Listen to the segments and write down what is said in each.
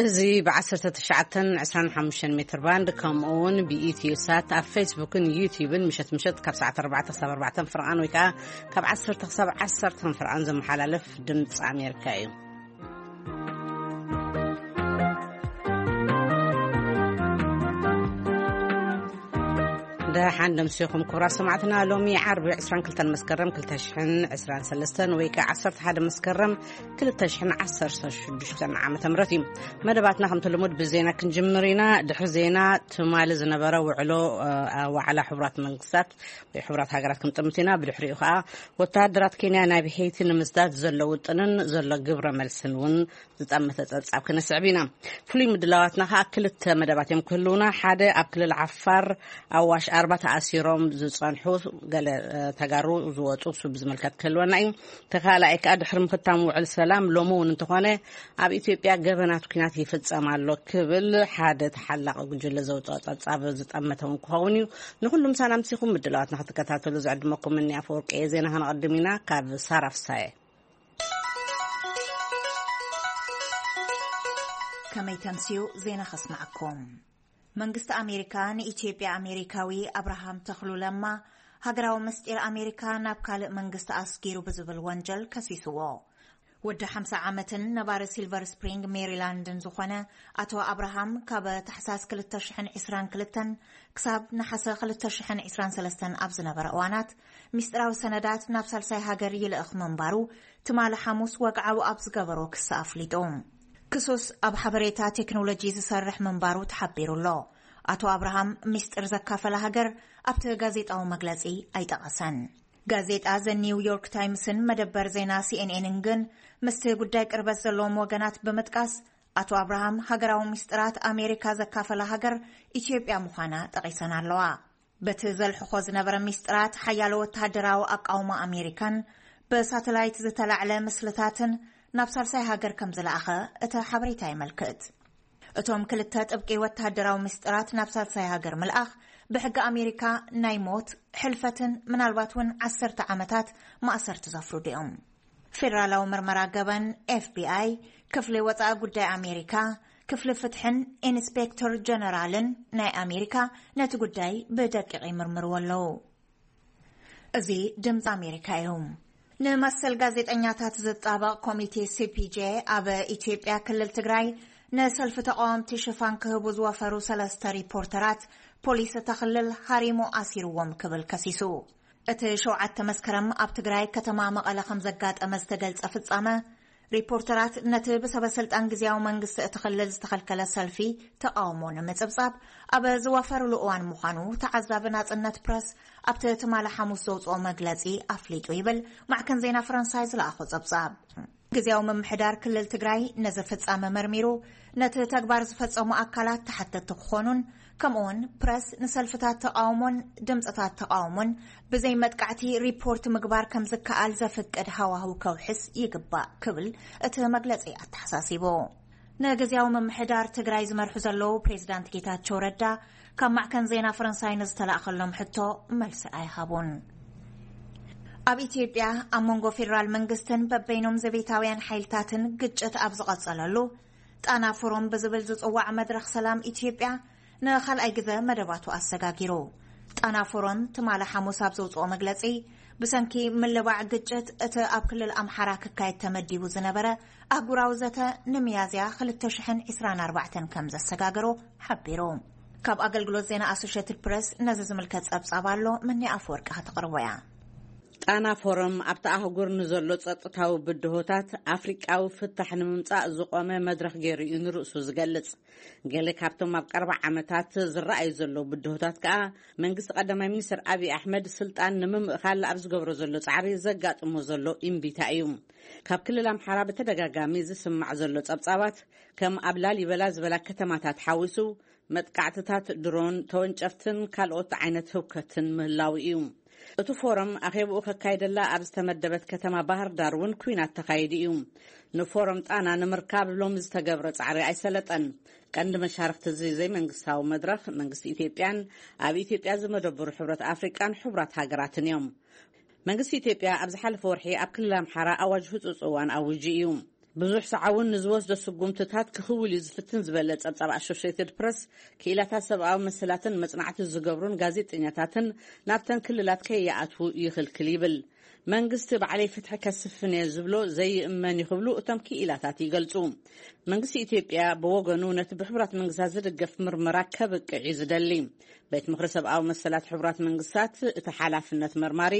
እዚ ብ19 25 ሜትር ባንድ፣ ከምኡ እውን ብኢትዮ ሳት ኣብ ፌስቡክን ዩቲዩብን ምሸት ምሸት ካብ ሰዓት 4 ክሳብ 4 ፍርቓን ወይ ከዓ ካብ 10 ክሳብ 10 ፍርቓን ዝመሓላለፍ ድምፂ ኣሜሪካ እዩ። ደሓን ደምሲኹም ክቡራት ሰማዕትና። ሎሚ ዓርቢ 22 መስከረም 2023 ወይ ከዓ 11 መስከረም 2016 ዓመተ ምህረት እዩ። መደባትና ከምቲ ልሙድ ብዜና ክንጅምር ኢና። ድሕሪ ዜና ትማሊ ዝነበረ ውዕሎ፣ እ፣ ዋዕላ ሕቡራት መንግስታት ወይ ሕቡራት ሃገራት ክንጥምት ኢና። ብድሕሪኡ ከዓ ወተሃደራት ኬንያ ናብ ሄይቲ ንምስዳድ ዘሎ ውጥንን ዘሎ ግብረ መልስን እውን ዝጠመተ ጸብጻብ ክነስዕብ ኢና። ፍሉይ ምድላዋትና ከዓ ክልተ መደባት እዮም ክህልውና። ሓደ ኣብ ክልል ዓፋር ኣዋሽ ኣርባ ተኣሲሮም ዝጸንሑ ገለ፣ እ፣ ተጋሩ ዝወጹ እሱ ብዝምልከት ክህልወና እዩ። ተኻልኣይ ከዓ ድሕሪ ምኽታም ውዕል ሰላም ሎሚ እውን እንተኾነ ኣብ ኢትዮጵያ ገበናት ኲናት ይፍጸም ኣሎ ክብል ሓደ ተሓላቒ ጉጅለ ዘውፅኦ ጸብጻብ ዝጠመተ እውን ክኸውን እዩ። ንኹሉ ምሳና ምሲኹም ምድላዋትና ክትከታተሉ ዝዕድመኩም እኒ ኣፈወርቂ እየ። ዜና ከነቐድም ኢና። ካብ ሳራ ፍሳየ። ከመይ ተምስዩ ዜና ከስማዓኩም። መንግስቲ ኣሜሪካ ንኢትዮጵያ ኣሜሪካዊ ኣብርሃም ተኽሉ ለማ ሃገራዊ ምስጢር ኣሜሪካ ናብ ካልእ መንግስቲ ኣስጊሩ ብዝብል ወንጀል ከሲስዎ። ወዲ 50 ዓመትን ነባሪ ሲልቨር ስፕሪንግ ሜሪላንድን ዝኾነ ኣቶ ኣብርሃም፣ ካብ ታሕሳስ 2022 ክሳብ ነሓሰ 2023 ኣብ ዝነበረ እዋናት፣ ሚስጥራዊ ሰነዳት ናብ ሳልሳይ ሃገር ይልእኽ ምንባሩ ትማሊ ሓሙስ ወግዓዊ ኣብ ዝገበሮ ክሲ ኣፍሊጡ። ክሱስ ኣብ ሓበሬታ ቴክኖሎጂ ዝሰርሕ ምንባሩ ተሓቢሩ ኣሎ። ኣቶ ኣብርሃም ሚስጥር ዘካፈለ ሃገር ኣብቲ ጋዜጣዊ መግለጺ ኣይጠቐሰን። ጋዜጣ ዘ ኒው ዮርክ ታይምስን መደበር ዜና ሲኤንኤንን ግን ምስቲ ጉዳይ ቅርበት ዘለዎም ወገናት ብምጥቃስ፣ ኣቶ ኣብርሃም ሃገራዊ ሚስጥራት ኣሜሪካ ዘካፈለ ሃገር ኢትዮጵያ ምዃና ጠቒሰን ኣለዋ። በቲ ዘልሕኾ ዝነበረ ሚስጥራት ሓያሎ ወተሃደራዊ ኣቃውማ ኣሜሪካን ብሳተላይት ዝተላዕለ ምስልታትን ናብ ሳልሳይ ሃገር ከም ዝለኣኸ እቲ ሓበሬታ የመልክት። እቶም ክልተ ጥብቂ ወተሃደራዊ ምስጢራት ናብ ሳልሳይ ሃገር ምልኣኽ ብሕጊ ኣሜሪካ ናይ ሞት፣ ሕልፈትን ምናልባት እውን ዓሰርተ ዓመታት ማእሰርቲ ዘፍርዱ እዮም። ፌደራላዊ ምርመራ ገበን፣ ኤፍቢኣይ፣ ክፍሊ ወጻኢ ጉዳይ ኣሜሪካ፣ ክፍሊ ፍትሕን ኢንስፔክተር ጀነራልን ናይ ኣሜሪካ ነቲ ጉዳይ ብደቂቕ ይምርምርዎ ኣለዉ። እዚ ድምፂ ኣሜሪካ እዩ። ንመሰል ጋዜጠኛታት ዝጣበቕ ኮሚቴ ሲፒጄ ኣብ ኢትዮጵያ ክልል ትግራይ ንሰልፊ ተቃወምቲ ሽፋን ክህቡ ዝወፈሩ ሰለስተ ሪፖርተራት ፖሊስ እታ ክልል ሃሪሙ ኣሲርዎም ክብል ከሲሱ። እቲ ሸውዓተ መስከረም ኣብ ትግራይ ከተማ መቐለ ከም ዘጋጠመ ዝተገልጸ ፍጻመ፣ ሪፖርተራት ነቲ ብሰበ ስልጣን ግዝያዊ መንግስቲ እቲ ክልል ዝተኸልከለ ሰልፊ ተቃውሞ ንምጽብጻብ ኣብ ዝዋፈሩሉ እዋን ምዃኑ ተዓዛቢ ናጽነት ፕረስ ኣብቲ ትማሊ ሓሙስ ዘውጽኦ መግለጺ ኣፍሊጡ ይብል ማዕከን ዜና ፈረንሳይ ዝለኣኾ ጸብጻብ። ግዝያዊ ምምሕዳር ክልል ትግራይ ነዚ ፍጻመ መርሚሩ ነቲ ተግባር ዝፈጸሙ ኣካላት ተሓተቲ ክኾኑን፣ ከምኡውን ፕረስ ንሰልፍታት ተቃውሞን ድምፅታት ተቃውሞን ብዘይ መጥቃዕቲ ሪፖርት ምግባር ከም ዝከኣል ዘፍቅድ ሃዋህው ከውሕስ ይግባእ ክብል እቲ መግለጺ ኣተሓሳሲቡ። ንግዝያዊ ምምሕዳር ትግራይ ዝመርሑ ዘለዉ ፕሬዚዳንት ጌታቸው ረዳ ካብ ማዕከን ዜና ፈረንሳይ ንዝተላእኸሎም ሕቶ መልሲ ኣይሃቡን። ኣብ ኢትዮጵያ ኣብ መንጎ ፌደራል መንግስትን በበይኖም ዘቤታውያን ሓይልታትን ግጭት ኣብ ዝቐጸለሉ፣ ጣና ፎረም ብዝብል ዝጽዋዕ መድረኽ ሰላም ኢትዮጵያ ንኻልኣይ ግዘ መደባቱ ኣሰጋጊሩ። ጣና ፎረም ትማሊ ሓሙስ ኣብ ዘውጽኦ መግለጺ፣ ብሰንኪ ምልባዕ ግጭት እቲ ኣብ ክልል ኣምሓራ ክካየድ ተመዲቡ ዝነበረ ኣህጉራዊ ዘተ ንሚያዝያ 2024 ከም ዘሰጋገሮ ሓቢሩ። ካብ ኣገልግሎት ዜና ኣሶሼትድ ፕረስ ነዚ ዝምልከት ጸብጻብ ኣሎ፣ ምኒ ኣፈወርቂ ከተቕርቦ እያ። ጣና ፎረም ኣብቲ ኣህጉር ንዘሎ ጸጥታዊ ብድሆታት ኣፍሪቃዊ ፍታሕ ንምምጻእ ዝቖመ መድረኽ ገይሩ እዩ ንርእሱ ዝገልጽ። ገለ ካብቶም ኣብ ቀረባ ዓመታት ዝረኣዩ ዘለዉ ብድሆታት ከኣ፣ መንግስቲ ቀዳማይ ሚኒስትር ኣብይ ኣሕመድ ስልጣን ንምምእኻል ኣብ ዝገብሮ ዘሎ ጻዕሪ ዘጋጥሞ ዘሎ እምቢታ እዩ። ካብ ክልል ኣምሓራ ብተደጋጋሚ ዝስማዕ ዘሎ ጸብጻባት፣ ከም ኣብ ላሊበላ ዝበላ ከተማታት ሓዊሱ፣ መጥቃዕትታት ድሮን፣ ተወንጨፍትን ካልኦት ዓይነት ህውከትን ምህላው እዩ። እቲ ፎረም ኣኼብኡ ከካይደላ ኣብ ዝተመደበት ከተማ ባህር ዳር እውን ኲናት ተኻይዱ እዩ። ንፎረም ጣና ንምርካብ ሎሚ ዝተገብረ ጻዕሪ ኣይሰለጠን። ቀንዲ መሻርክቲ እዚ ዘይመንግስታዊ መድረኽ፣ መንግስቲ ኢትዮጵያን ኣብ ኢትዮጵያ ዝመደበሩ ሕብረት ኣፍሪቃን ሕቡራት ሃገራትን እዮም። መንግስቲ ኢትዮጵያ ኣብ ዝሓለፈ ወርሒ ኣብ ክልል ኣምሓራ ኣዋጅ ህጹጽ እዋን ኣዊጁ እዩ። ብዙሕ ሰዓውን ንዝወስዶ ስጉምትታት ክኽውል እዩ ዝፍትን ዝበለ ጸብጻብ ኣሶሽየትድ ፕረስ፣ ክኢላታት ሰብኣዊ መሰላትን መጽናዕቲ ዝገብሩን ጋዜጠኛታትን ናብተን ክልላት ከይኣትዉ ይኽልክል ይብል። መንግስቲ ባዕለይ ፍትሒ ከስፍን እየ ዝብሎ ዘይእመን እዩ ክብሉ እቶም ክኢላታት ይገልጹ። መንግስቲ ኢትዮጵያ ብወገኑ ነቲ ብሕቡራት መንግስታት ዝድገፍ ምርመራ ከብቅዕ እዩ ዝደሊ። ቤት ምኽሪ ሰብኣዊ መሰላት ሕቡራት መንግስታት እቲ ሓላፍነት መርማሪ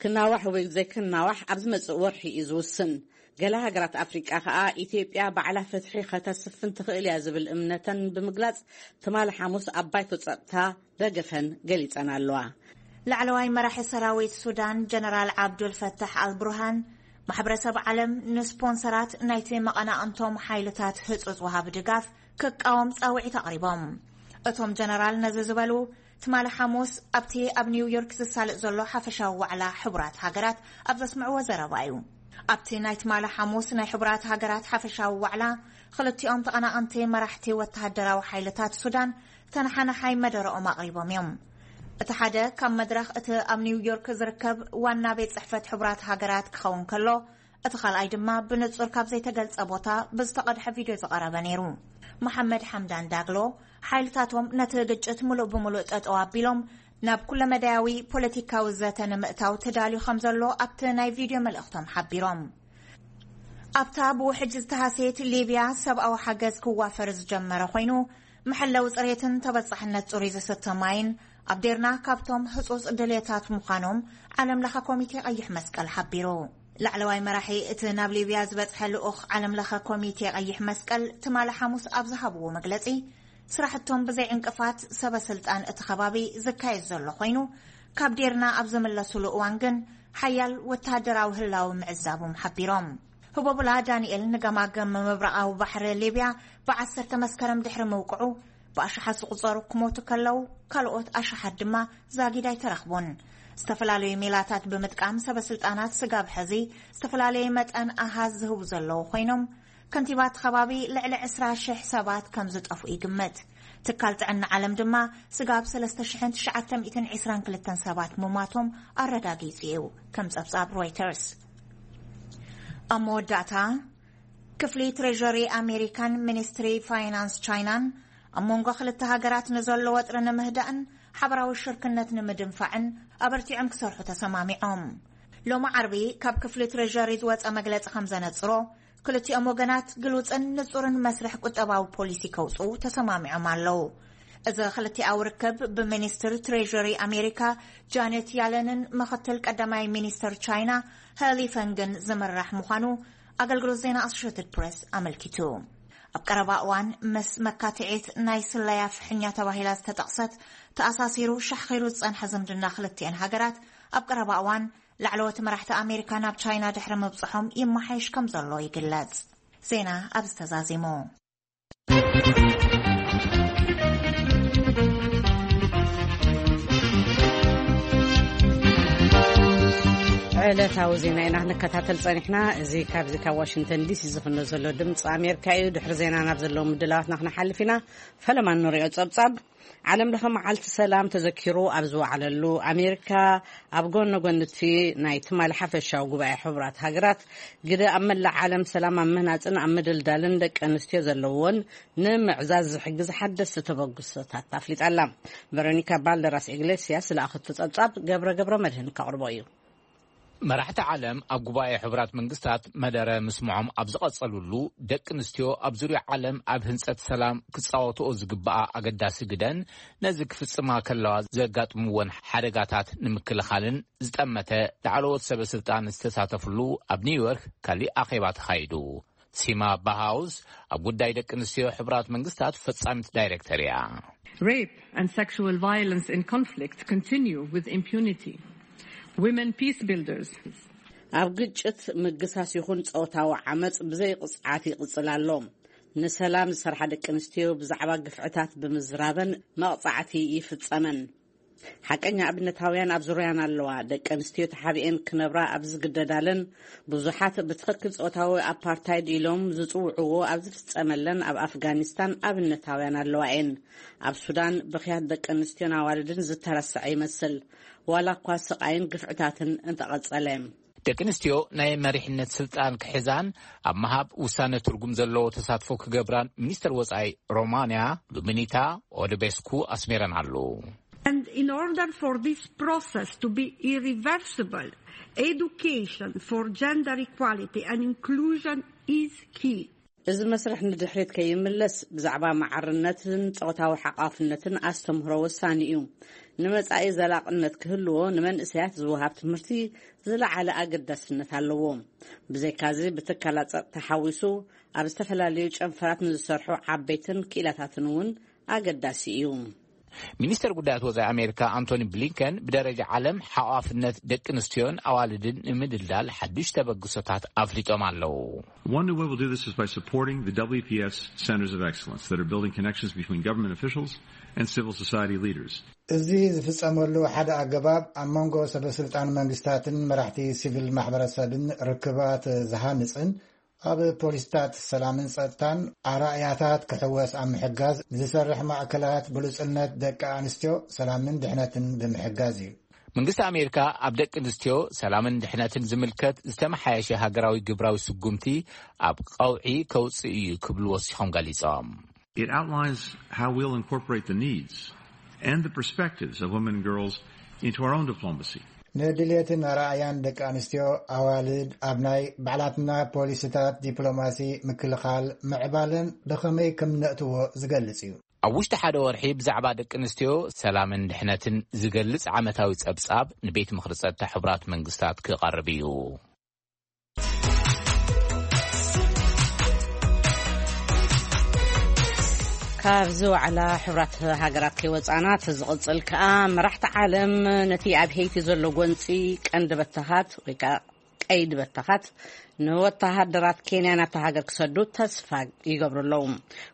ክናዋሕ ወይ ዘይክናዋሕ ኣብ ዝመጽእ ወርሒ እዩ ዝውስን። ገለ ሃገራት ኣፍሪቃ ከኣ ኢትዮጵያ ባዕላ ፍትሒ ከተስፍን ትኽእል እያ ዝብል እምነተን ብምግላጽ፣ ትማሊ ሓሙስ ኣብ ባይቶ ጸጥታ ደገፈን ገሊጸን ኣለዋ። ላዕለዋይ መራሒ ሰራዊት ሱዳን ጀነራል ዓብዱል ፈታሕ ኣልቡርሃን፣ ማሕበረሰብ ዓለም ንስፖንሰራት ናይቲ መቐናቕንቶም ሓይልታት ህጹጽ ወሃቢ ድጋፍ ክቃወም ጻውዒት ኣቕሪቦም። እቶም ጀነራል ነዚ ዝበሉ ትማሊ ሓሙስ ኣብቲ ኣብ ኒውዮርክ ዝሳለጥ ዘሎ ሓፈሻዊ ዋዕላ ሕቡራት ሃገራት ኣብ ዘስምዕዎ ዘረባ እዩ። ኣብቲ ናይ ትማሊ ሓሙስ ናይ ሕቡራት ሃገራት ሓፈሻዊ ዋዕላ፣ ክልቲኦም ተቐናቐንቲ መራሕቲ ወተሃደራዊ ሓይልታት ሱዳን ተነሓናሓይ መደረኦም ኣቕሪቦም እዮም። እቲ ሓደ ካብ መድረኽ እቲ ኣብ ኒውዮርክ ዝርከብ ዋና ቤት ጽሕፈት ሕቡራት ሃገራት ክኸውን ከሎ፣ እቲ ካልኣይ ድማ ብንጹር ካብ ዘይተገልጸ ቦታ ብዝተቐድሐ ቪድዮ ዝቐረበ ነይሩ። መሓመድ ሓምዳን ዳግሎ፣ ሓይልታቶም ነቲ ግጭት ምሉእ ብምሉእ ጠጠው ኣቢሎም ናብ ኩለመዳያዊ ፖለቲካዊ ዘተ ንምእታው ተዳልዩ ከም ዘሎ ኣብቲ ናይ ቪድዮ መልእኽቶም ሓቢሮም። ኣብታ ብውሕጅ ዝተሃሰየት ሊብያ ሰብኣዊ ሓገዝ ክዋፈር ዝጀመረ ኮይኑ፣ መሐለዊ ጽሬትን ተበጻሕነት ጽሩይ ዝስተ ማይን ኣብ ዴርና ካብቶም ህጹጽ ድልየታት ምዃኖም ዓለም ለኸ ኮሚቴ ቀይሕ መስቀል ሓቢሩ። ላዕለዋይ መራሒ እቲ ናብ ሊብያ ዝበጽሐ ልኡኽ ዓለም ለኸ ኮሚቴ ቀይሕ መስቀል ትማሊ ሓሙስ ኣብ ዝሃብዎ መግለጺ፣ ስራሕቶም ብዘይ ዕንቅፋት ሰበ ስልጣን እቲ ከባቢ ዝካየድ ዘሎ ኮይኑ፣ ካብ ዴርና ኣብ ዝምለሱሉ እዋን ግን ሓያል ወተሃደራዊ ህላዊ ምዕዛቦም ሓቢሮም። ህቦብላ ዳንኤል ንገማግም ምብራቓዊ ባሕሪ ሊብያ ብዓሰርተ መስከረም ድሕሪ ምውቅዑ፣ ብኣሽሓት ዝቑጸሩ ክሞቱ ከለዉ፣ ካልኦት ኣሽሓት ድማ ዛጊድ ኣይተረኽቡን። ዝተፈላለዩ ሜላታት ብምጥቃም ሰበ ስልጣናት ስጋብ ሕዚ ዝተፈላለየ መጠን ኣሃዝ ዝህቡ ዘለዉ ኮይኖም፣ ከንቲባ እቲ ከባቢ ልዕሊ ዕስራ ሽሕ ሰባት ከም ዝጠፍኡ ይግመት። ትካል ጥዕና ዓለም ድማ ስጋብ ሰለስተ ሽሕን ትሽዓተ ሚእትን ዕስራን ክልተን ሰባት ምማቶም ኣረጋጊጹ እዩ፣ ከም ጸብጻብ ሮይተርስ። ኣብ መወዳእታ፣ ክፍሊ ትሬዠሪ ኣሜሪካን ሚኒስትሪ ፋይናንስ ቻይናን ኣብ መንጎ ክልተ ሃገራት ንዘሎ ወጥሪ ንምህዳእን ሓበራዊ ሽርክነት ንምድንፋዕን ኣበርቲዖም ክሰርሑ ተሰማሚዖም። ሎሚ ዓርቢ ካብ ክፍሊ ትሬዠሪ ዝወጸ መግለጺ ከም ዘነጽሮ፣ ክልቲኦም ወገናት ግሉጽን ንጹርን መስርሕ ቁጠባዊ ፖሊሲ ከውጽኡ ተሰማሚዖም ኣለዉ። እዚ ክልቲኣዊ ርክብ ብሚኒስትር ትሬዠሪ ኣሜሪካ ጃኔት ያለንን ምኽትል ቀዳማይ ሚኒስትር ቻይና ሄሊ ፈንግን ዝምራሕ ምዃኑ ኣገልግሎት ዜና ኣሶሼትድ ፕሬስ ኣመልኪቱ። ኣብ ቀረባ እዋን ምስ መካትዒት ናይ ስለያ ፍሕኛ ተባሂላ ዝተጠቕሰት፣ ተኣሳሲሩ ሻሕኺሩ ዝጸንሐ ዝምድና ክልቲአን ሃገራት፣ ኣብ ቀረባ እዋን ላዕለዎት መራሕቲ ኣሜሪካ ናብ ቻይና ድሕሪ ምብጽሖም ይመሓየሽ ከም ዘሎ ይግለጽ። ዜና ኣብዚ ተዛዚሙ። ዕለታዊ ዜና ኢና ክንከታተል ጸኒሕና። እዚ ካብዚ ካብ ዋሽንግተን ዲሲ ዝፍኖ ዘሎ ድምፂ ኣሜሪካ እዩ። ድሕሪ ዜና ናብ ዘለዉ ምድላዋትና ክንሓልፍ ኢና። ፈለማ እንሪኦ ጸብጻብ። ዓለም ለኸ መዓልቲ ሰላም ተዘኪሩ ኣብ ዝወዓለሉ፣ ኣሜሪካ ኣብ ጎነ ጎኒ እቲ ናይ ትማሊ ሓፈሻዊ ጉባኤ ሕቡራት ሃገራት ግደ ኣብ መላእ ዓለም ሰላም ኣብ ምህናጽን ኣብ ምድልዳልን ደቂ ኣንስትዮ ዘለዎን ንምዕዛዝ ዝሕግዝ ሓደስቲ ተበግሶታት ኣፍሊጣ ኣላ። ቨሮኒካ ባልደራስ ኢግሌስያስ ዝለኣኸቶ ጸብጻብ ገብረ ገብረ መድህን ከቕርቦ እዩ። መራሕቲ ዓለም ኣብ ጉባኤ ሕቡራት መንግስታት መደረ ምስምዖም ኣብ ዝቐጸሉሉ፣ ደቂ ኣንስትዮ ኣብ ዙርያ ዓለም ኣብ ህንጸት ሰላም ክጻወትኦ ዝግባኣ ኣገዳሲ ግደን፣ ነዚ ክፍጽማ ከለዋ ዘጋጥምወን ሓደጋታት ንምክልኻልን ዝጠመተ ላዕለዎት ሰበ ስልጣን ዝተሳተፍሉ ኣብ ኒውዮርክ ካሊእ ኣኼባ ተኻይዱ። ሲማ ባሃውስ ኣብ ጉዳይ ደቂ ኣንስትዮ ሕቡራት መንግስታት ፈጻሚት ዳይሬክተር እያ። Rape and sexual violence in conflict continue with impunity. Women peace builders. ኣብ ግጭት ምግሳስ ይኹን ጾታዊ ዓመጽ ብዘይ ቅጽዓት ይቕጽል ኣሎ። ንሰላም ዝሰርሓ ደቂ ኣንስትዮ ብዛዕባ ግፍዕታት ብምዝራበን መቕጻዕቲ ይፍጸመን። ሓቀኛ ኣብነታውያን ኣብ ዙርያና ኣለዋ። ደቂ ኣንስትዮ ተሓቢኤን ክነብራ ኣብ ዝግደዳለን፣ ብዙሓት ብትኽክል ጾታዊ ኣፓርታይድ ኢሎም ዝጽውዕዎ ኣብ ዝፍጸመለን ኣብ ኣፍጋኒስታን ኣብነታውያን ኣለዋ እየን። ኣብ ሱዳን ብኽያት ደቂ ኣንስትዮን ኣዋልድን ዝተረስዐ ይመስል፣ ዋላ እኳ ስቓይን ግፍዕታትን እንተቐጸለ። ደቂ ኣንስትዮ ናይ መሪሕነት ስልጣን ክሕዛን ኣብ ምሃብ ውሳነ ትርጉም ዘለዎ ተሳትፎ ክገብራን ሚኒስተር ወጻኢ ሮማንያ ሉሚኒታ ኦደቤስኩ ኣስሜረን ኣለዉ። And in order for this process to be irreversible, education for gender equality and inclusion is key. እዚ መስርሕ ንድሕሪት ከይምለስ ብዛዕባ ማዕርነትን ጾታዊ ሓቋፍነትን ኣስተምህሮ ወሳኒ እዩ። ንመጻኢ ዘላቕነት ክህልዎ ንመንእሰያት ዝወሃብ ትምህርቲ ዝለዓለ ኣገዳስነት ኣለዎ። ብዘይካዚ ብትካላት ጸጥታ ሓዊሱ ኣብ ዝተፈላለዩ ጨንፈራት ንዝሰርሑ ዓበይትን ክኢላታትን እውን ኣገዳሲ እዩ። ሚኒስተር ጉዳያት ወጻኢ ኣሜሪካ ኣንቶኒ ብሊንከን ብደረጃ ዓለም ሓቋፍነት ደቂ ኣንስትዮን ኣዋልድን ንምድልዳል ሓዱሽ ተበግሶታት ኣፍሊጦም ኣለዉ። One new way we'll do this is by supporting the W P S Centers of Excellence that are building connections between government officials and civil society leaders. እዚ ዝፍጸመሉ ሓደ ኣገባብ ኣብ መንጎ ሰበስልጣን መንግስታትን መራሕቲ ሲቪል ማሕበረሰብን ርክባት ዝሃንጽን ኣብ ፖሊስታት ሰላምን ጸጥታን ኣራእያታት ክሕወስ ኣብ ምሕጋዝ ዝሰርሕ ማእከላት ብሉጽነት ደቂ ኣንስትዮ ሰላምን ድሕነትን ብምሕጋዝ እዩ። መንግስቲ ኣሜሪካ ኣብ ደቂ ኣንስትዮ ሰላምን ድሕነትን ዝምልከት ዝተመሓየሸ ሃገራዊ ግብራዊ ስጉምቲ ኣብ ቀውዒ ከውፅእ እዩ ክብሉ ወሲኾም ገሊፆም። It outlines how we'll incorporate the needs and the perspectives of women and girls into our own diplomacy. ንድሌትን ኣረኣያን ደቂ ኣንስትዮ ኣዋልድ ኣብ ናይ ባዕላትና ፖሊሲታት ዲፕሎማሲ ምክልኻል ምዕባለን ብኸመይ ከም ነእትዎ ዝገልጽ እዩ። ኣብ ውሽጢ ሓደ ወርሒ ብዛዕባ ደቂ ኣንስትዮ ሰላምን ድሕነትን ዝገልጽ ዓመታዊ ጸብጻብ ንቤት ምኽሪ ጸጥታ ሕቡራት መንግስታት ክቐርብ እዩ። ካብዚ ዋዕላ ሕቡራት ሃገራት ከይወፃና እቲ ዝቕፅል ከዓ መራሕቲ ዓለም ነቲ ኣብ ሄይቲ ዘሎ ጎንፂ ቀንዲ በተኻት ወይ ከዓ ቀይዲ በተኻት ንወተሃደራት ኬንያ ናብታ ሃገር ክሰዱ ተስፋ ይገብሩ ኣለዉ።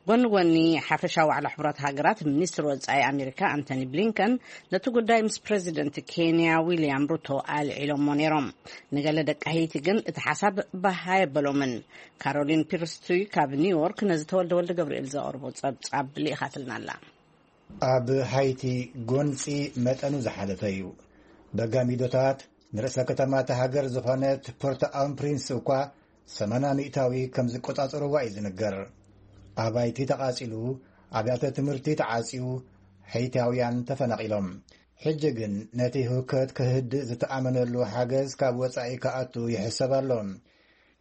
ጎኒ ጎኒ ሓፈሻዊ ዋዕላ ሕቡራት ሃገራት ሚኒስትር ወፃኢ ኣሜሪካ ኣንቶኒ ብሊንከን ነቲ ጉዳይ ምስ ፕሬዚደንት ኬንያ ዊልያም ሩቶ ኣልዒሎሞ ነይሮም። ንገለ ደቂ ሄይቲ ግን እቲ ሓሳብ ባህ ኣየበሎምን። ካሮሊን ፒርስቱይ ካብ ኒውዮርክ ነዚ ተወልደ ወልደ ገብርኤል ዘቕርቦ ጸብጻብ ልኢኻትልና ኣላ። ኣብ ሃይቲ ጎንጺ መጠኑ ዝሓለፈ እዩ። በጋሚዶታት ንርእሰ ከተማ እታ ሃገር ዝኾነት ፖርት ኣው ፕሪንስ እኳ ሰማንያ ሚእታዊ ከም ዝቆጻጸርዋ እዩ ዝንገር። ኣባይቲ ተቓጺሉ፣ ኣብያተ ትምህርቲ ተዓጽዩ፣ ሃይቲያውያን ተፈናቒሎም። ሕጂ ግን ነቲ ህውከት ክህድእ ዝተኣመነሉ ሓገዝ ካብ ወጻኢ ክኣቱ ይሕሰብ ኣሎ።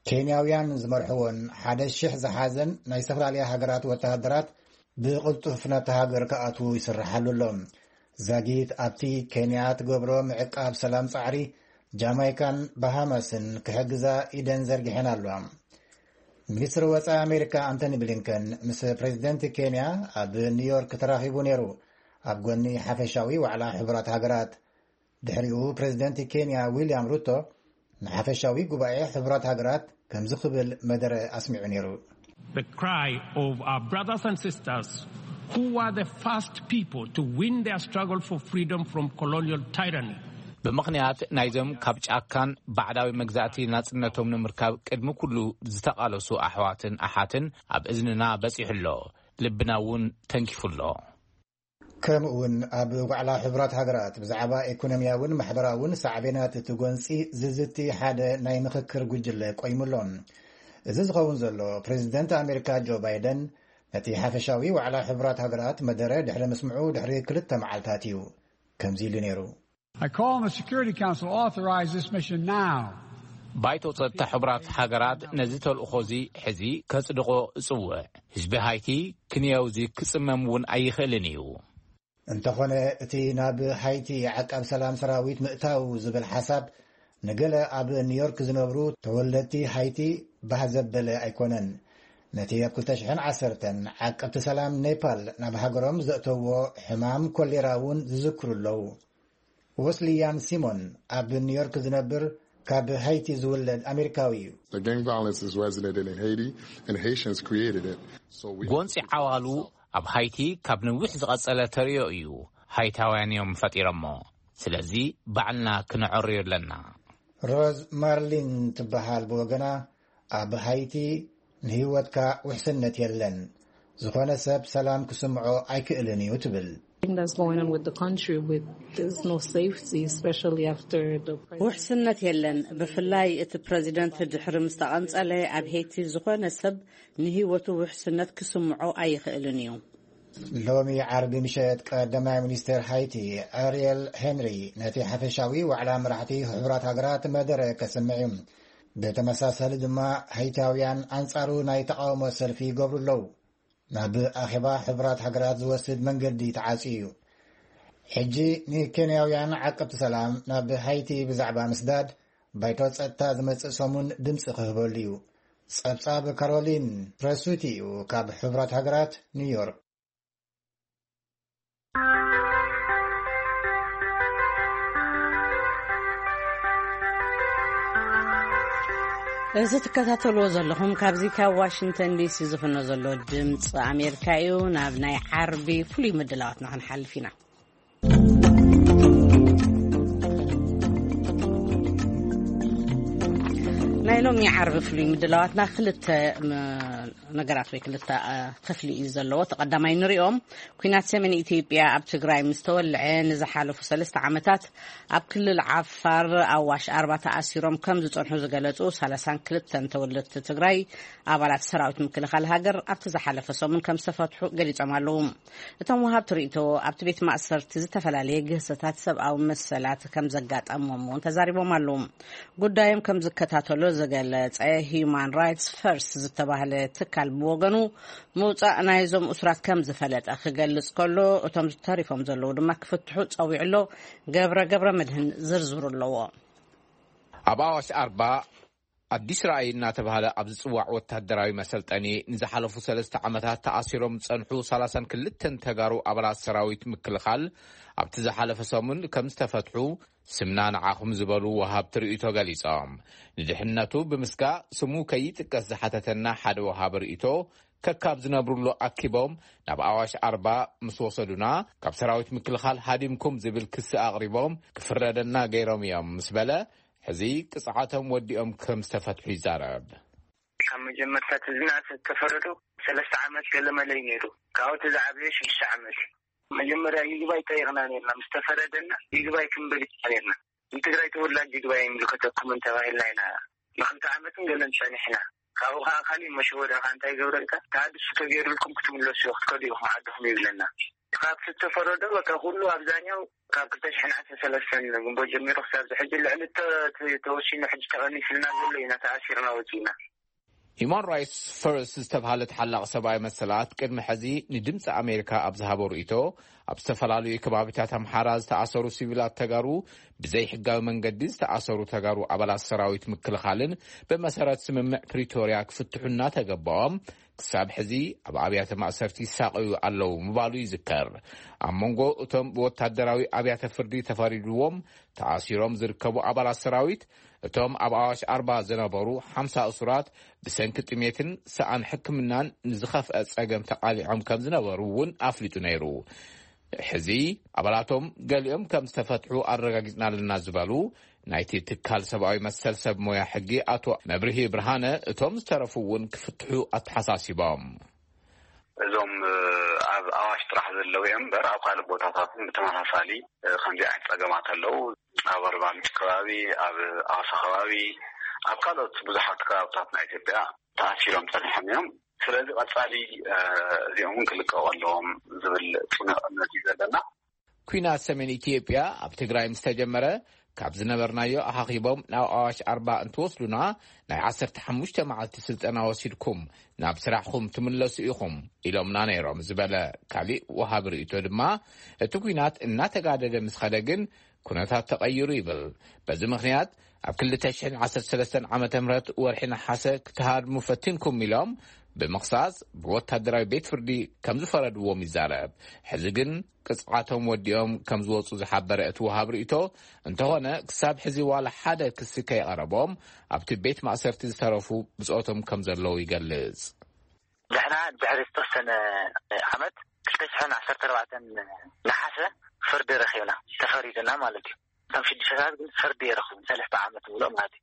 ኬንያውያን ዝመርሕዎን ሓደ ሽሕ ዝሓዘን ናይ ዝተፈላለያ ሃገራት ወተሃደራት ብቕልጡፍ ናብታ ሃገር ክኣትዉ ይስርሓሉ ኣሎ። ዛጊት ኣብቲ ኬንያ ትገብሮ ምዕቃብ ሰላም ጻዕሪ ጃማይካን ባሃማስን ክሕግዛ ኢደን ዘርጊሐን ኣለዋ። ሚኒስትሪ ወጻኢ ኣሜሪካ ኣንቶኒ ብሊንከን ምስ ፕሬዚደንት ኬንያ ኣብ ኒውዮርክ ተራኺቡ ነይሩ። ኣብ ጎኒ ሓፈሻዊ ዋዕላ ሕቡራት ሃገራት ድሕሪኡ ፕሬዚደንት ኬንያ ዊልያም ሩቶ ንሓፈሻዊ ጉባኤ ሕቡራት ሃገራት ከምዚ ክብል መደረ ኣስሚዑ ነይሩ። The cry of our brothers and sisters who were the first people to win their struggle for freedom from colonial tyranny. ብምኽንያት ናይዞም ካብ ጫካን ባዕዳዊ መግዛእቲ ናጽነቶም ንምርካብ ቅድሚ ኩሉ ዝተቓለሱ ኣሕዋትን ኣሓትን ኣብ እዝንና በጺሑ ኣሎ፣ ልብና እውን ተንኪፉ ኣሎ። ከምኡ እውን ኣብ ዋዕላ ሕቡራት ሃገራት ብዛዕባ ኢኮኖሚያውን ማሕበራውን ሳዕቤናት እቲ ጎንፂ ዝዝቲ ሓደ ናይ ምኽክር ጉጅለ ቆይሙ ኣሎ። እዚ ዝኸውን ዘሎ ፕሬዚደንት ኣሜሪካ ጆ ባይደን ነቲ ሓፈሻዊ ዋዕላ ሕቡራት ሃገራት መደረ ድሕሪ ምስምዑ ድሕሪ ክልተ መዓልታት እዩ ከምዚ ኢሉ ነይሩ። I call on the Security Council to authorize this mission now. ባይቶ ጸጥታ ሕቡራት ሃገራት ነዚ ተልእኾ እዚ ሕዚ ከጽድቖ እጽውዕ። ህዝቢ ሃይቲ ክንየው እዚ ክጽመም እውን ኣይኽእልን እዩ። እንተኾነ እቲ ናብ ሃይቲ ዓቃብ ሰላም ሰራዊት ምእታው ዝብል ሓሳብ ንገለ ኣብ ኒውዮርክ ዝነብሩ ተወለድቲ ሃይቲ ባህ ዘበለ ኣይኮነን። ነቲ ኣብ ክልተ ሽሕን ዓሰርተን ዓቀብቲ ሰላም ኔፓል ናብ ሃገሮም ዘእተዎ ሕማም ኮሌራ እውን ዝዝክሩ ኣለዉ። ወስልያን ሲሞን ኣብ ኒውዮርክ ዝነብር ካብ ሃይቲ ዝውለድ ኣሜሪካዊ እዩ። The gang violence is resident in Haiti and Haitians created it. So we ጎንፂ ዓዋሉ ኣብ ሃይቲ ካብ ነዊሕ ዝቐጸለ ተርእዮ እዩ። ሃይታውያን እዮም ፈጢሮሞ። ስለዚ ባዕልና ክነዐርዮ ኣለና። ሮዝ ማርሊን ትበሃል ብወገና ኣብ ሃይቲ ንህይወትካ ውሕስነት የለን። ዝኾነ ሰብ ሰላም ክስምዖ ኣይክእልን እዩ ትብል። That's going on with the country with there's no safety, especially after the president. ውሕስነት የለን። ብፍላይ እቲ ፕረዚደንት ድሕሪ ምስ ተቐንጸለ ኣብ ሄይቲ ዝኾነ ሰብ ንህይወቱ ውሕስነት ክስምዖ ኣይኽእልን እዩ። ሎሚ ዓርቢ ምሸት ቀዳማይ ሚኒስትር ሃይቲ ኣርየል ሄንሪ ነቲ ሓፈሻዊ ዋዕላ መራሕቲ ሕቡራት ሃገራት መደረ ከስምዕ እዩ። ብተመሳሳሊ ድማ ሃይታውያን ኣንጻሩ ናይ ተቃውሞ ሰልፊ ይገብሩ ኣለዉ። ናብ ኣኼባ ሕቡራት ሃገራት ዝወስድ መንገዲ ተዓጽዩ እዩ። ሕጂ ንኬንያውያን ዓቀብቲ ሰላም ናብ ሃይቲ ብዛዕባ ምስዳድ ባይቶ ጸጥታ ዝመጽእ ሰሙን ድምጺ ክህበሉ እዩ። ጸብጻብ ካሮሊን ፕረሱቲ እዩ ካብ ሕቡራት ሃገራት ኒውዮርክ። እዚ ትከታተልዎ ዘለኹም ካብዚ ካብ ዋሽንግተን ዲሲ ዝፍኖ ዘሎ ድምፂ ኣሜሪካ እዩ። ናብ ናይ ዓርቢ ፍሉይ ምድላዋትና ክንሓልፍ ኢና። ናይ ሎሚ ዓርቢ ፍሉይ ምድላዋትና ክልተ ነገራት ወይ ክልተ ክፍሊ እዩ ዘለዎ። ተቐዳማይ ንሪኦም። ኩናት ሰሜን ኢትዮጵያ ኣብ ትግራይ ምስ ተወልዐ ንዝሓለፉ ሰለስተ ዓመታት ኣብ ክልል ዓፋር ኣዋሽ ኣርባ ተኣሲሮም ከም ዝጸንሑ ዝገለጹ ሰላሳን ክልተን ተወለድቲ ትግራይ ኣባላት ሰራዊት ምክልኻል ሃገር ኣብቲ ዝሓለፈ ሰሙን ከም ዝተፈትሑ ገሊጾም ኣለዉ። እቶም ወሃብቲ ርእይቶ ኣብቲ ቤት ማእሰርቲ ዝተፈላለየ ግህሰታት ሰብኣዊ መሰላት ከም ዘጋጠሞም እውን ተዛሪቦም ኣለዉ። ጉዳዮም ከም ዝከታተሎ ዝገለጸ ሂዩማን ራይትስ ፈርስት ዝተባህለ ትካል ብወገኑ ምውጻእ ናይዞም እሱራት ከም ዝፈለጠ ክገልጽ ከሎ እቶም ዝተሪፎም ዘለዉ ድማ ክፍትሑ ጸዊዑ ኣሎ። ገብረ ገብረ መድህን ዝርዝሩ ኣለዎ። ኣብ ኣዋሽ ኣርባ ኣዲስ ራእይ እናተባህለ ኣብ ዝጽዋዕ ወታደራዊ መሰልጠኒ ንዝሓለፉ ሰለስተ ዓመታት ተኣሲሮም ዝጸንሑ ሰላሳን ክልተን ተጋሩ ኣባላት ሰራዊት ምክልኻል ኣብቲ ዝሓለፈ ሰሙን ከም ዝተፈትሑ ስምና ንዓኹም ዝበሉ ወሃብቲ ርእይቶ ገሊጾም። ንድሕነቱ ብምስጋእ ስሙ ከይጥቀስ ዝሓተተና ሓደ ወሃቢ ርእይቶ ከካብ ዝነብሩሉ ኣኪቦም ናብ ኣዋሽ ኣርባ ምስ ወሰዱና ካብ ሰራዊት ምክልኻል ሃዲምኩም ዝብል ክሲ ኣቕሪቦም ክፍረደና ገይሮም እዮም ምስ በለ ሕዚ ቅጽዓቶም ወዲኦም ከም ዝተፈትሑ ይዛረብ። ካብ መጀመርታ እቲ ዝነኣሰ ዝተፈረዱ ሰለስተ ዓመት ገለመለ እዩ ነይሩ። ካብኡ እቲ ዝዓበየ ሽዱሽተ ዓመት እዩ። መጀመርያ ይግባይ ጠይቕና ነርና። ምስ ተፈረደና ይግባይ ክንብል ኢና ነርና። ንትግራይ ተወላጅ ይግባይ ይምልከተኩም እንተባሂልና ኢና ንክልተ ዓመትን ገለን ጸኒሕና። ካብኡ ከዓ ካሊእ መሸወዳ ከዓ እንታይ ይገብረልካ፣ ተሃድሶ ተገይሩልኩም ክትምለሱ ክትከዱ ኢኹም ዓድኹም ይብለና። ካብ ዝተፈረዶ በቃ ኩሉ ኣብዛኛው ካብ ክልተ ሽሕን ዓሰርተ ሰለስተን ግንቦት ጀሚሩ ክሳብ ዝሕጂ ልዕሊ እተ- ተወሲኑ ሕጂ ተቐኒስልና ዘሎ ኢና ተኣሲርና ወፂና። ሂማን ራይትስ ፈርስት ዝተባህለ ተሓላቂ ሰብኣዊ መሰላት ቅድሚ ሕዚ ንድምፂ ኣሜሪካ ኣብ ዝሃቦ ርእይቶ ኣብ ዝተፈላለዩ ከባቢታት ኣምሓራ ዝተኣሰሩ ሲቪላት ተጋሩ ብዘይሕጋዊ መንገዲ ዝተኣሰሩ ተጋሩ ኣባላት ሰራዊት ምክልኻልን ብመሰረት ስምምዕ ፕሪቶርያ ክፍትሑ እናተገባኦም ክሳብ ሕዚ ኣብ ኣብያተ ማእሰርቲ ይሳቐዩ ኣለዉ ምባሉ ይዝከር። ኣብ መንጎ እቶም ብወታደራዊ ኣብያተ ፍርዲ ተፈሪድዎም ተኣሲሮም ዝርከቡ ኣባላት ሰራዊት እቶም ኣብ ኣዋሽ ኣርባ ዝነበሩ ሓምሳ እሱራት ብሰንኪ ጥሜትን ሰኣን ሕክምናን ንዝኸፍአ ጸገም ተቓሊዖም ከም ዝነበሩ እውን ኣፍሊጡ ነይሩ። ሕዚ ኣባላቶም ገሊኦም ከም ዝተፈትሑ ኣረጋጊጽና ኣለና ዝበሉ ናይቲ ትካል ሰብኣዊ መሰል ሰብ ሞያ ሕጊ ኣቶ መብርሂ ብርሃነ እቶም ዝተረፉ እውን ክፍትሑ ኣተሓሳሲቦም። እዞም ኣብ ኣዋሽ ጥራሕ ዘለዉ እዮም እምበር ኣብ ካልእ ቦታታት ብተመሳሳሊ ከምዚ ዓይነት ፀገማት ኣለዉ። ኣብ ኣርባምንጭ ከባቢ፣ ኣብ ኣዋሳ ከባቢ፣ ኣብ ካልኦት ብዙሓት ከባብታት ናይ ኢትዮጵያ ተኣሲሮም ፀኒሖም እዮም። ስለዚ ቀፃሊ እዚኦም እውን ክልቀቑ ኣለዎም ዝብል ፅኑዕ እምነት እዩ ዘለና። ኩናት ሰሜን ኢትዮጵያ ኣብ ትግራይ ምስ ተጀመረ ካብ ዝነበርናዮ ኣኻኺቦም ናብ ኣዋሽ ኣርባ እንትወስዱና ናይ ዓሰርተ ሓሙሽተ መዓልቲ ስልጠና ወሲድኩም ናብ ስራሕኹም ትምለሱ ኢኹም ኢሎምና ነይሮም ዝበለ ካሊእ ወሃቢ ርእይቶ ድማ እቲ ኩናት እናተጋደደ ምስ ኸደ ግን ኩነታት ተቐይሩ ይብል። በዚ ምኽንያት ኣብ ክልተ ሽሕን ዓሰርተ ሰለስተን ዓመተ ምህረት ወርሒ ነሓሰ ክትሃድሙ ፈቲንኩም ኢሎም ብምኽሳስ ብወታደራዊ ቤት ፍርዲ ከም ዝፈረድዎም ይዛረብ። ሕዚ ግን ቅፅዓቶም ወዲኦም ከም ዝወፁ ዝሓበረ እቲ ወሃብ ርእይቶ እንተኾነ ክሳብ ሕዚ ዋላ ሓደ ክሲ ከይቐረቦም ኣብቲ ቤት ማእሰርቲ ዝተረፉ ብፆቶም ከም ዘለዉ ይገልፅ። ንሕና ድሕሪ ዝተወሰነ ዓመት ክልተ ሽሕን ዓሰርተ ኣርባዕተን ነሓሰ ፍርዲ ረኺብና ተፈሪዱና ማለት እዩ። እቶም ሽዱሽተ ሰባት ግን ፍርዲ የረኽቡን ሰለስተ ዓመት ምሉእ ማለት እዩ።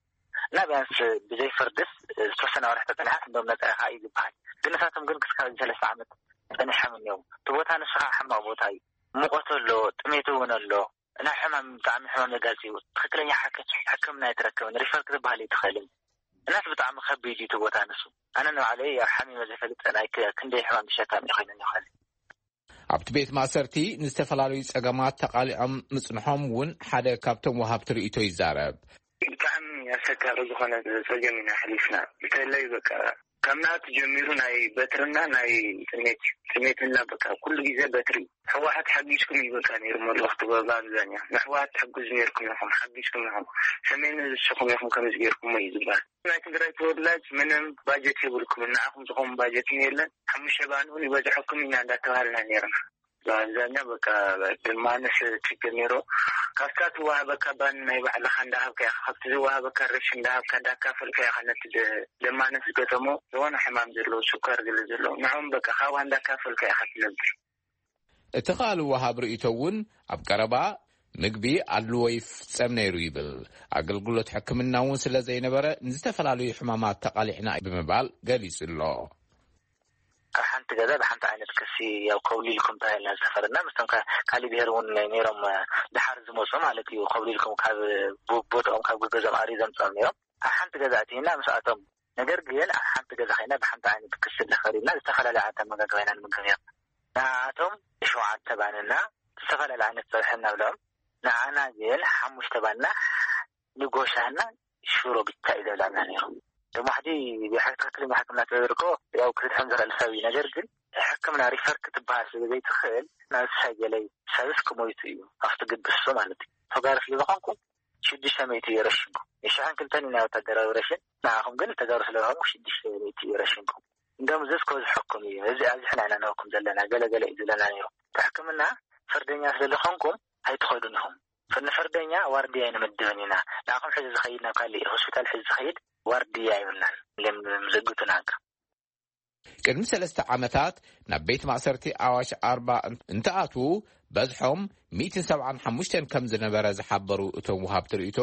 እና ቢያንስ ብዘይ ፍርድስ ዝተወሰነ ወርሒ ተፀንሓት እንደም ነፃ ኢኻ እዩ ዝበሃል። ግን ንሳቶም ግን ክስካብ ሰለስተ ዓመት ጸኒሖም እዮም። እቲ ቦታ ንሱ ከዓ ሕማቕ ቦታ እዩ። ሙቐት ኣሎ፣ ጥሜት እውን ኣሎ። ናይ ሕማም፣ ብጣዕሚ ሕማም ዘጋልጽ እዩ። ትኽክለኛ ሓክ-፣ ሕክምና ኣይትረክብን። ሪፈር ክትበሃል ኣይትኽእልን። እናስ ብጣዕሚ ከቢድ እዩ እቲ ቦታ ንሱ። ኣነ ንባዕለይ ኣብ ሓሚመ ዘይፈልጥ ናይ ክ-፣ ክንደይ ሕማም ተሸካሚ ኮይነ ይኽእል። ኣብቲ ቤት ማእሰርቲ ንዝተፈላለዩ ጸገማት ተቓሊዖም ምጽንሖም እውን ሓደ ካብቶም ወሃብቲ ርእይቶ ይዛረብ። ብጣዕሚ ኣሰካሪ ዝኾነ ጸገም ኢና ኣሕሊፍና። እንተለይ በቃ ካብ ንኣት ጀሚሩ ናይ በትርና ናይ ጥሜት እዩ። ጥሜትና በቃ ኩሉ ግዜ በትሪ እዩ። ህወሓት ሓጊዝኩም እዩ በቃ ነይሩ መልእኽቲ በ-፣ ብኣብዛኛው ንህወሓት ትሕግዙ ነይርኩም ኢኹም፣ ሓጊዝኩም ኢኹም፣ ሰሜን ንስኹም ኢኹም ከምዚ ገይርኩሞ እዩ ዝበሃል። ናይ ትግራይ ተወላጅ ምንም ባጀት የብልኩም፣ ንዓኹም ዝኸውን ባጀት የለን፣ ሓሙሽተ ባንውን ይበዝሐኩም ኢና እንዳተባሃልና ነይርና። ብኣብዛኛው በቃ ደማነስ ችግር ነይሩ። ካብታ ትወሃበካ ባን ናይ ባዕልኻ እንዳሃብካ ኢኻ፣ ካብቲ ዝወሃበካ ሬሽን እንዳሃብካ እንዳካፈልካ ኢኻ ነቲ ደ-፣ ደማነስ ዝገጠሞ ዝኾነ ሕማም ዘለዎ ስኳር ገለ ዘለዎ ንዕኦም በቃ ካብኣ እንዳካፈልካ ኢኻ ትነብር። እቲ ካልእ ወሃብ ርእይቶ እውን ኣብ ቀረባ ምግቢ ኣድልዎ ይፍጸም ነይሩ ይብል። ኣገልግሎት ሕክምና እውን ስለ ዘይነበረ ንዝተፈላለዩ ሕማማት ተቓሊዕና ብምባል ገሊጹ ኣሎ። ካብ ሓንቲ ገዛ ብሓንቲ ዓይነት ክሲ ያው ከውሊልኩም ተባሂልና ዝተፈረድና፣ ምስቶም ከ-፣ ካሊእ ብሄር እውን ነይሮም፣ እ፣ ድሓር ዝመፁ ማለት እዩ። ከውሊልኩም ካብ ብ-፣ ቦትኦም ካብ ገዝኦም ኣሪ ዘምፅኦም ነይሮም። ኣብ ሓንቲ ገዛ እቲና ምስኣቶም፣ ነገር ግን ኣብ ሓንቲ ገዛ ኮይና ብሓንቲ ዓይነት ክሲ ተፈሪድና፣ ዝተፈላለየ ዓይነት ኣመጋግባ ኢና ንምገብ ነይርና። ንኣቶም ሸውዓተ ባንና ዝተፈላለየ ዓይነት ፀብሒ እናብልዖም፣ ንዓና ግን ሓሙሽተ ባንና ንጎሻና ሽሮ ብቻ እዩ ዘብላና ነይሩ። ደሞ ሕጂ ብሓቂ ትክክለኛ ሕክምና ተደርጎ ያው ክትድሕን ዝኽእል ሰብ እዩ። ነገር ግን ሕክምና ሪፈር ክትበሃል ስለ ዘይትኽእል ናብ ሳይገለይ ሰብስ ክሞይቱ እዩ ኣብቲ ግድሱ ማለት እዩ። ተጋሩ ስለ ዝኾንኩ ሽዱሽተ ሚእቲ እዩ ረሽንኩም። ንሽሕን ክልተን እዩ ናይ ወታደራዊ ረሽን፣ ንዓኹም ግን ተጋሩ ስለ ዝኾንኩ ሽዱሽተ ሚእቲ እዩ ረሽንኩም። እንደም ዝስ ከብዝሐኩም እዩ። እዚ ኣብዚ ሕና ኢና ንህኩም ዘለና፣ ገለ ገለ እዩ ዝብለና ነይሩ። እቲ ሕክምና ፍርደኛ ስለ ዝኾንኩም ኣይትኸዱን ኢኹም። ንፈርደኛ ዋርድያ ኣይንምድብን ኢና። ንዓኹም ሕዚ ዝኸይድ ናብ ካሊእ ሆስፒታል ሕዚ ዝኸይድ ዋርድያ ኣይብልናን። ኢሎም ምዝግቱና። ቅድሚ ሰለስተ ዓመታት ናብ ቤት ማእሰርቲ ኣዋሽ ኣርባ እንትኣትዉ በዝሖም ሚእትን ሰብዓን ሓሙሽተን ከም ዝነበረ ዝሓበሩ እቶም ወሃብቲ ርእይቶ፣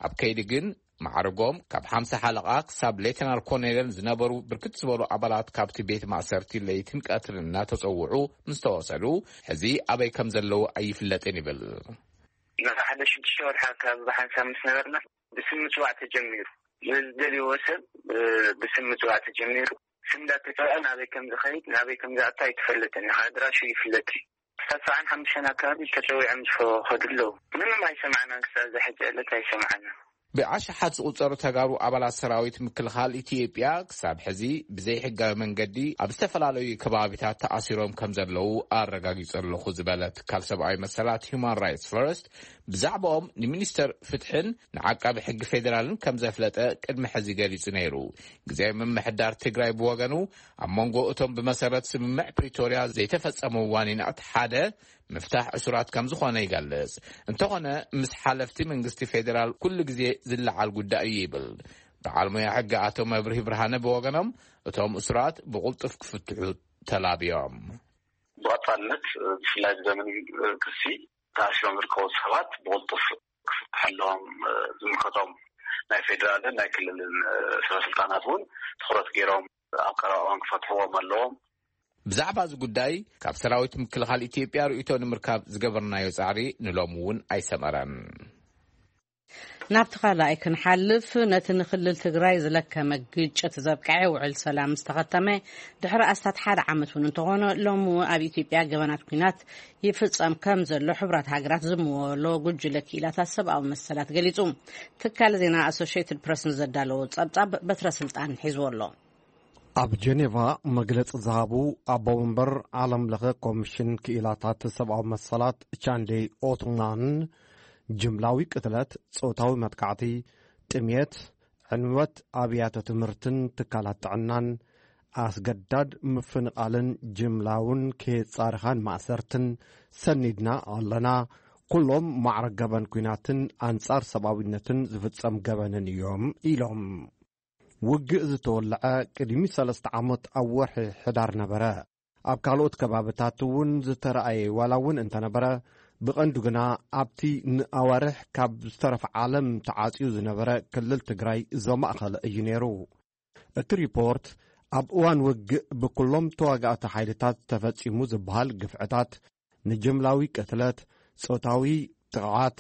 ኣብ ከይዲ ግን ማዕርጎም ካብ ሓምሳ ሓለቓ ክሳብ ሌተናል ኮሎኔል ዝነበሩ ብርክት ዝበሉ ኣባላት ካብቲ ቤት ማእሰርቲ ለይትን ቀትርን እናተጸውዑ ምስ ተወሰዱ፣ ሕዚ ኣበይ ከም ዘለዉ ኣይፍለጥን ይብል። ንሓደ ሽዱሽተ ወርሒ ኣካባቢ ብሓንሳብ ምስ ነበርና፣ ብስም ምጽዋዕ ተጀሚሩ። ዝደልይዎ ሰብ፣ እ፣ ብስም ምጽዋዕ ተጀሚሩ። ስም እንዳተጸውዐ ናበይ ከም ዝኸይድ፣ ናበይ ከም ዝኣቱ ኣይተፈለጠን። ኣድራሹ ይፍለጥ እዩ። ክሳብ ሰብዓን ሓሙሽተን ኣካባቢ ተጸዊዖም ዝኸዱ ኣለዉ። ምንም ኣይሰማዕናን። ክሳብ እዛ ሕጂ ዕለት ኣይሰማዕናን። ብኣሽሓት ዝቑጸሩ ተጋሩ ኣባላት ሰራዊት ምክልኻል ኢትዮጵያ ክሳብ ሕዚ ብዘይሕጋዊ መንገዲ ኣብ ዝተፈላለዩ ከባቢታት ተኣሲሮም ከም ዘለዉ ኣረጋጊጹ ኣለኹ ዝበለ ትካል ሰብኣዊ መሰላት ሁማን ራይትስ ፈርስት፣ ብዛዕባኦም ንሚኒስተር ፍትሕን ንዓቃቢ ሕጊ ፌዴራልን ከም ዘፍለጠ ቅድሚ ሕዚ ገሊጹ ነይሩ። ግዜ ምምሕዳር ትግራይ ብወገኑ ኣብ መንጎ እቶም ብመሰረት ስምምዕ ፕሪቶርያ ዘይተፈጸሙ ዋኒናት ሓደ ምፍታሕ እሱራት ከም ዝኾነ ይገልጽ። እንተኾነ ምስ ሓለፍቲ መንግስቲ ፌዴራል ኩሉ ግዜ ዝለዓል ጉዳይ እዩ ይብል። በዓል ሞያ ሕጊ ኣቶ መብርሂ ብርሃነ ብወገኖም እቶም እሱራት ብቕልጡፍ ክፍትሑ ተላብዮም። ብቐጻልነት፣ ብፍላይ ብዘመን ክሲ ተኣሲሮም ዝርከቡ ሰባት ብቕልጡፍ ክፍትሑ ኣለዎም። ዝምልከቶም ናይ ፌዴራልን ናይ ክልልን ሰበ ስልጣናት እውን ትኹረት ገይሮም ኣብ ቀረባ እዋን ክፈትሕዎም ኣለዎም። ብዛዕባ እዚ ጉዳይ ካብ ሰራዊት ምክልኻል ኢትዮጵያ ርእይቶ ንምርካብ ዝገበርናዮ ጻዕሪ ንሎሚ እውን ኣይሰመረን። ናብቲ ካልኣይ ክንሓልፍ፣ ነቲ ንክልል ትግራይ ዝለከመ ግጭት ዘብቅዐ ውዕል ሰላም ዝተኸተመ ድሕሪ ኣስታት ሓደ ዓመት እውን እንተኾነ፣ ሎሚ እውን ኣብ ኢትዮጵያ ገበናት ኲናት ይፍጸም ከም ዘሎ ሕቡራት ሃገራት ዝምወሎ ጉጅለ ክኢላታት ሰብኣዊ መሰላት ገሊጹ። ትካል ዜና ኣሶሽየትድ ፕረስ ንዘዳለዎ ጸብጻብ በትረ ስልጣን ሒዝዎ ኣሎ። ኣብ ጀኔቫ መግለጺ ዝሃቡ ኣቦ መንበር ዓለም ለኸ ኮሚሽን ክኢላታት ሰብኣዊ መሰላት ቻንዴ ኦትማን፣ ጅምላዊ ቅትለት፣ ጾታዊ መጥቃዕቲ፣ ጥሜት፣ ዕንወት ኣብያተ ትምህርትን ትካላት ጥዕናን፣ ኣስገዳድ ምፍንቓልን ጅምላውን ከየጻርኻን ማእሰርትን ሰኒድና ኣለና። ኩሎም ማዕረ ገበን ኲናትን ኣንጻር ሰብኣዊነትን ዝፍጸም ገበንን እዮም ኢሎም። ውግእ ዝተወልዐ ቅድሚ ሰለስተ ዓመት ኣብ ወርሒ ሕዳር ነበረ። ኣብ ካልኦት ከባብታት እውን ዝተረኣየ ዋላ እውን እንተነበረ፣ ብቐንዱ ግና ኣብቲ ንኣዋርሕ ካብ ዝተረፈ ዓለም ተዓጽዩ ዝነበረ ክልል ትግራይ ዘማእኸለ እዩ ነይሩ። እቲ ሪፖርት ኣብ እዋን ውግእ ብኩሎም ተዋጋእቲ ሓይልታት ተፈጺሙ ዝበሃል ግፍዕታት፣ ንጅምላዊ ቅትለት፣ ጾታዊ ጥቕዓት፣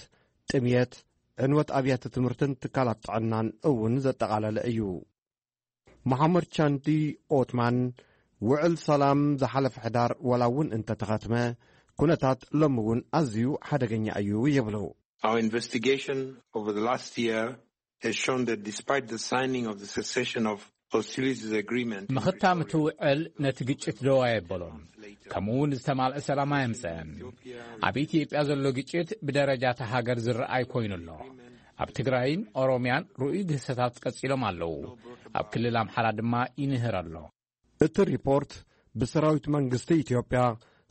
ጥምየት፣ ዕንወት ኣብያተ ትምህርትን ትካላት ጥዕናን እውን ዘጠቓለለ እዩ። መሓመድ ቻንዲ ኦትማን፣ ውዕል ሰላም ዝሓለፈ ሕዳር ዋላ እውን እንተተኸትመ፣ ኩነታት ሎሚ እውን ኣዝዩ ሓደገኛ እዩ ይብሉ። Our investigation over the last year has shown that despite the signing of the cessation of hostilities agreement, ምኽታም እቲ ውዕል ነቲ ግጭት ደው ኣየበሎን፣ ከምኡ እውን ዝተማልአ ሰላም ኣየምፀአን። ኣብ ኢትዮጵያ ዘሎ ግጭት ብደረጃ እታ ሃገር ዝረኣይ ኮይኑ ኣሎ። ኣብ ትግራይን ኦሮምያን ርኡይ ግህሰታት ቀጺሎም ኣለዉ። ኣብ ክልል ኣምሓራ ድማ ይንህር ኣሎ። እቲ ሪፖርት ብሰራዊት መንግስቲ ኢትዮጵያ፣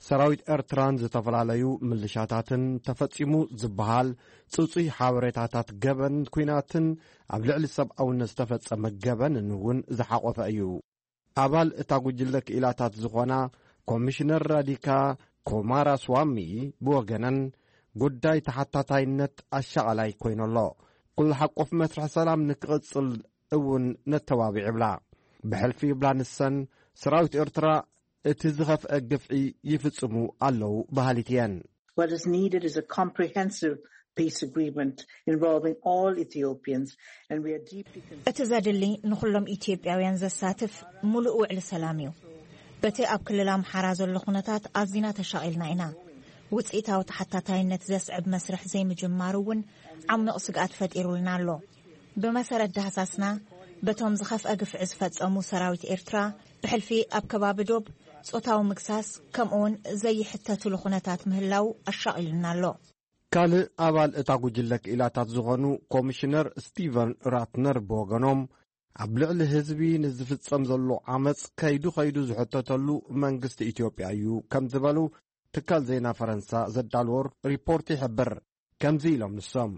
ሰራዊት ኤርትራን ዝተፈላለዩ ምልሻታትን ተፈጺሙ ዝበሃል ጽጹይ ሓበሬታታት ገበን ኲናትን ኣብ ልዕሊ ሰብኣውነት ዝተፈጸመ ገበንን እውን ዝሓቖፈ እዩ። ኣባል እታ ጉጅለ ክኢላታት ዝኾና ኮሚሽነር ራዲካ ኮማራስዋሚ ብወገነን፣ ጉዳይ ተሓታታይነት ኣሻቓላይ ኮይኑ ኣሎ። ኩሉ ሓቆፍ መስርሕ ሰላም ንክቕጽል እውን ነተባብዕ ይብላ። ብሕልፊ ይብላ ንሰን፣ ሰራዊት ኤርትራ እቲ ዝኸፍአ ግፍዒ ይፍጽሙ ኣለዉ በሃሊት እየን። What is needed is a comprehensive peace agreement involving all Ethiopians, and we are deeply concerned. እቲ ዘድሊ ንኹሎም ኢትዮጵያውያን ዘሳትፍ ምሉእ ውዕሊ ሰላም እዩ። በቲ ኣብ ክልል ኣምሓራ ዘሎ ኩነታት ኣዚና ተሻቒልና ኢና። ውጽኢታዊ ተሓታታይነት ዘስዕብ መስርሕ ዘይምጅማሩ እውን ዓሚቕ ስግኣት ፈጢሩልና ኣሎ። ብመሰረት ዳህሳስና፣ በቶም ዝኸፍአ ግፍዒ ዝፈጸሙ ሰራዊት ኤርትራ፣ ብሕልፊ ኣብ ከባቢ ዶብ ጾታዊ ምግሳስ፣ ከምኡውን ዘይሕተትሉ ኩነታት ምህላው ኣሻቒሉና ኣሎ። ካልእ ኣባል እታ ጉጅለ ክኢላታት ዝኾኑ ኮሚሽነር ስቲቨን ራትነር ብወገኖም፣ ኣብ ልዕሊ ህዝቢ ንዝፍጸም ዘሎ ዓመጽ ከይዱ ከይዱ ዝሕተተሉ መንግስቲ ኢትዮጵያ እዩ ከም ዝበሉ ትካል ዜና ፈረንሳ ዘዳልዎ ሪፖርት ይሕብር። ከምዚ ኢሎም ንሶም።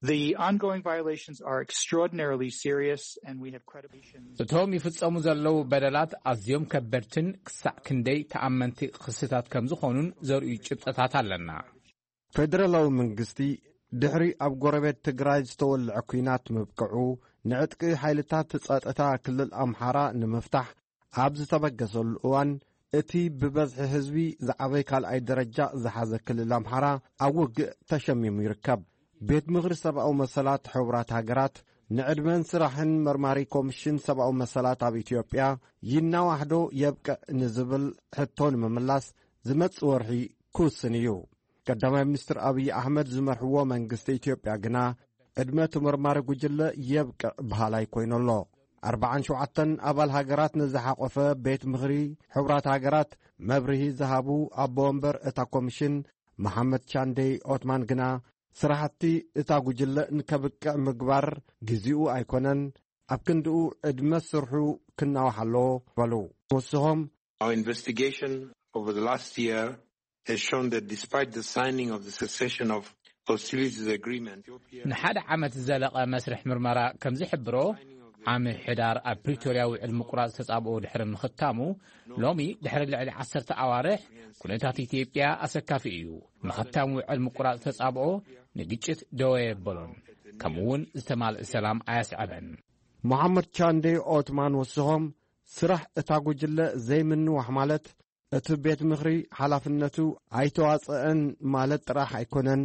The ongoing violations are extraordinarily serious, and we have credible. እቶም ይፍጸሙ ዘለዉ በደላት ኣዝዮም ከበድትን ክሳዕ ክንደይ ተኣመንቲ ክስታት ከም ዝኾኑን ዘርእዩ ጭብጥታት ኣለና። ፌደራላዊ መንግስቲ ድሕሪ ኣብ ጎረቤት ትግራይ ዝተወልዐ ኲናት ምብቅዑ፣ ንዕጥቂ ሓይልታት ጸጥታ ክልል ኣምሓራ ንምፍታሕ ኣብ ዝተበገሰሉ እዋን፣ እቲ ብበዝሒ ህዝቢ ዝዓበየ ካልኣይ ደረጃ ዝሓዘ ክልል ኣምሓራ ኣብ ውግእ ተሸሚሙ ይርከብ። ቤት ምኽሪ ሰብኣዊ መሰላት ሕቡራት ሃገራት ንዕድመን ስራሕን መርማሪ ኮሚሽን ሰብኣዊ መሰላት ኣብ ኢትዮጵያ ይናዋሕዶ የብቅዕ ንዝብል ሕቶ ንምምላስ ዝመጽእ ወርሒ ክውስን እዩ። ቀዳማይ ሚኒስትር ኣብይ ኣሕመድ ዝመርሕዎ መንግስቲ ኢትዮጵያ ግና ዕድመ እቲ መርማሪ ጉጅለ የብቅዕ በሃላይ ኮይኑ ኣሎ። ኣርባዓን ሸውዓተን ኣባል ሃገራት ንዝሓቖፈ ቤት ምኽሪ ሕቡራት ሃገራት መብርሂ ዝሃቡ ኣቦ ወንበር እታ ኮሚሽን መሓመድ ቻንደይ ኦትማን ግና፣ ስራሕቲ እታ ጉጅለ ንከብቅዕ ምግባር ግዜኡ ኣይኮነን፣ ኣብ ክንድኡ ዕድመ ስርሑ ክናዋሕ ኣለዎ በሉ። ወስኾም፣ Our investigation over the last year has shown that despite the signing of the cessation of hostilities agreement, ንሓደ ዓመት ዝዘለቐ መስርሕ ምርመራ ከም ዝሕብሮ፣ ዓሚ ሕዳር ኣብ ፕሪቶርያ ውዕል ምቁራጽ ተጻብኦ ድሕሪ ምኽታሙ፣ ሎሚ ድሕሪ ልዕሊ ዓሰርተ ኣዋርሕ ኩነታት ኢትዮጵያ ኣሰካፊ እዩ። ምኽታም ውዕል ምቁራጽ ተጻብኦ ንግጭት ደወ የበሎን፣ ከምኡውን ዝተማልእ ሰላም ኣያስዐበን። መሓመድ ቻንዴ ኦትማን ወስኾም፣ ስራሕ እታ ጉጅለ ዘይምንዋሕ ማለት እቲ ቤት ምኽሪ ሓላፍነቱ ኣይተዋጸአን ማለት ጥራሕ ኣይኮነን፣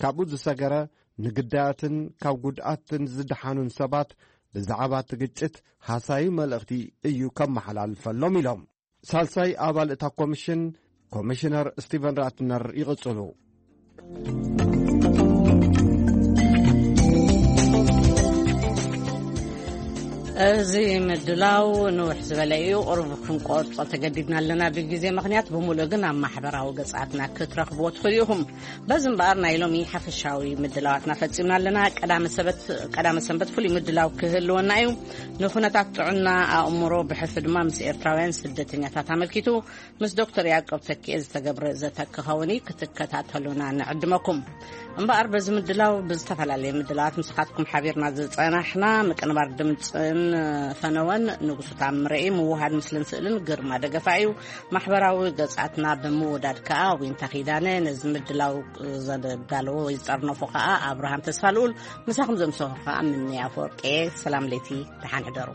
ካብኡ ዝሰገረ ንግዳያትን ካብ ጉድኣትን ዝደሓኑን ሰባት ብዛዕባ እቲ ግጭት ሃሳዩ መልእኽቲ እዩ ከመሓላልፈሎም ኢሎም። ሳልሳይ ኣባል እታ ኮሚሽን ኮሚሽነር ስቲቨን ራትነር ይቕጽሉ። እዚ ምድላው ንውሕ ዝበለ እዩ። ቁሩብ ክንቆርጾ ተገዲድና ኣለና ብግዜ ምኽንያት። ብምሉእ ግን ኣብ ማሕበራዊ ገጻትና ክትረኽብዎ ትኽእሉ ኢኹም። በዚ እምበኣር ናይ ሎሚ ሓፈሻዊ ምድላዋትና ፈጺምና ኣለና። ቀዳመ ሰበት-፣ ቀዳመ ሰንበት ፍሉይ ምድላው ክህልወና እዩ። ንኹነታት ጥዕና ኣእምሮ ብሕልፊ ድማ ምስ ኤርትራውያን ስደተኛታት ኣመልኪቱ ምስ ዶክተር ያዕቆብ ተኪኤ ዝተገብረ ዘተ ክኸውን እዩ። ክትከታተሉና ንዕድመኩም። እምበኣር በዚ ምድላው ብዝተፈላለየ ምድላዋት ምሳኻትኩም ሓቢርና ዝጸናሕና ምቅንባር ድምጽን ፈነወን ንጉሱ ታምረ እዩ። ምውሃድ ምስልን ስእልን ግርማ ደገፋ እዩ። ማሕበራዊ ገጻትና ብምውዳድ ከኣ ዊንታ ኪዳነ፣ ነዚ ምድላው ዘዳለዎ ወይ ዝጠርነፎ ከኣ ኣብርሃም ተስፋልኡል፣ ምሳኹም ዘምሰኹ ከኣ ምንያ ኣፈወርቂ። ሰላም ለይቲ፣ ደሓን ሕደሩ።